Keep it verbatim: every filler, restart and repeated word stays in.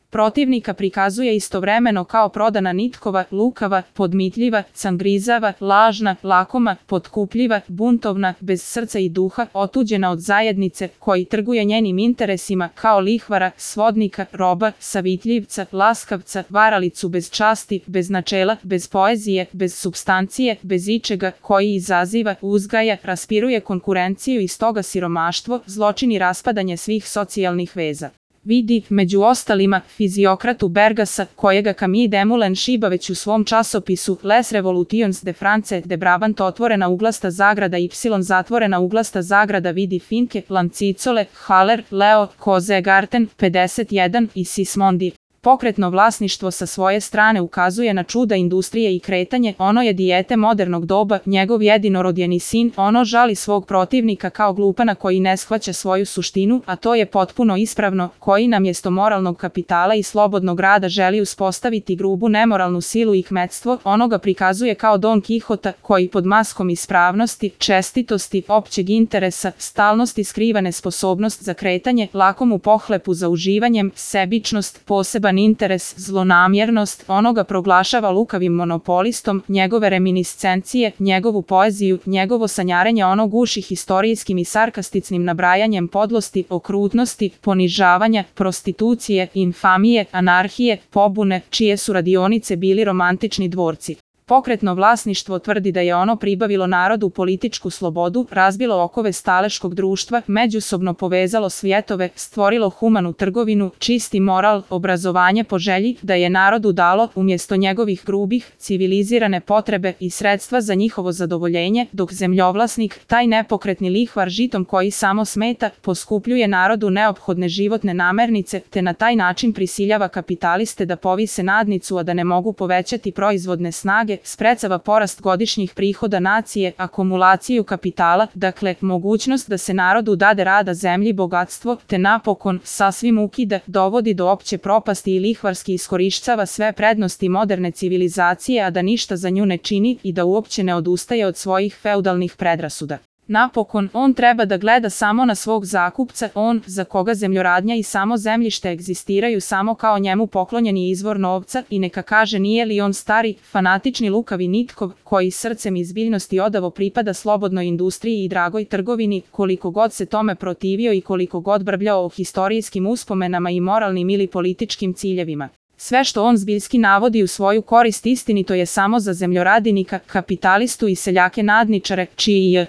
Protivnika prikazuje istovremeno kao prodana nitkova, lukava, podmitljiva, cangrizava, lažna, lakoma, potkupljiva, buntovna, bez srca i duha, otuđena od zajednice, koji trguje njenim interesima, kao lihvara, svodnika, roba, savitljivca, laskavca, varalicu bez časti, bez načela, bez poezije, bez supstancije, bez ičega, koji izaziva, uzgaja, raspiruje konkurenciju i stoga siromaštvo, zločin i raspadanje svih socijalnih veza. Vidi, među ostalima, fiziokratu Bergasa, kojega Camille Desmoulins šiba već u svom časopisu Les Revolutions de France de Brabant otvorena uglasta zagrada y zatvorena uglasta zagrada vidi Finke, Lancicole, Haller, Leo, Kozegarten, pedeset jedan i Sismondi. Pokretno vlasništvo sa svoje strane ukazuje na čuda industrije i kretanje, ono je dijete modernog doba, njegov jedinorodjeni sin, ono žali svog protivnika kao glupana koji ne shvaća svoju suštinu, a to je potpuno ispravno, koji na mjesto moralnog kapitala i slobodnog rada želi uspostaviti grubu nemoralnu silu i kmetstvo, ono ga prikazuje kao Don Kihota, koji pod maskom ispravnosti, čestitosti, općeg interesa, stalnosti skriva nesposobnost za kretanje, lakomu pohlepu za uživanjem, sebičnost, poseban interes, zlonamjernost, onoga proglašava lukavim monopolistom, njegove reminiscencije, njegovu poeziju, njegovo sanjarenje ono guši historijskim i sarkasticnim nabrajanjem podlosti, okrutnosti, ponižavanja, prostitucije, infamije, anarhije, pobune, čije su radionice bili romantični dvorci. Pokretno vlasništvo tvrdi da je ono pribavilo narodu političku slobodu, razbilo okove staleškog društva, međusobno povezalo svjetove, stvorilo humanu trgovinu, čisti moral, obrazovanje po želji, da je narodu dalo, umjesto njegovih grubih, civilizirane potrebe i sredstva za njihovo zadovoljenje, dok zemljovlasnik, taj nepokretni lihvar žitom koji samo smeta, poskupljuje narodu neophodne životne namirnice, te na taj način prisiljava kapitaliste da povise nadnicu, a da ne mogu povećati proizvodne snage, sprečava porast godišnjih prihoda nacije, akumulaciju kapitala, dakle, mogućnost da se narodu dade rada zemlji bogatstvo, te napokon, sasvim ukida, dovodi do opće propasti i lihvarski iskorišćava sve prednosti moderne civilizacije, a da ništa za nju ne čini i da uopće ne odustaje od svojih feudalnih predrasuda. Napokon, on treba da gleda samo na svog zakupca, on, za koga zemljoradnja i samo zemljište egzistiraju samo kao njemu poklonjeni izvor novca, i neka kaže nije li on stari, fanatični lukavi nitkov, koji srcem iz biljnosti odavo pripada slobodnoj industriji i dragoj trgovini, koliko god se tome protivio i koliko god brbljao o historijskim uspomenama i moralnim ili političkim ciljevima. Sve što on zbiljski navodi u svoju korist istinito je samo za zemljoradinika, kapitalistu i seljake nadničare, čiji je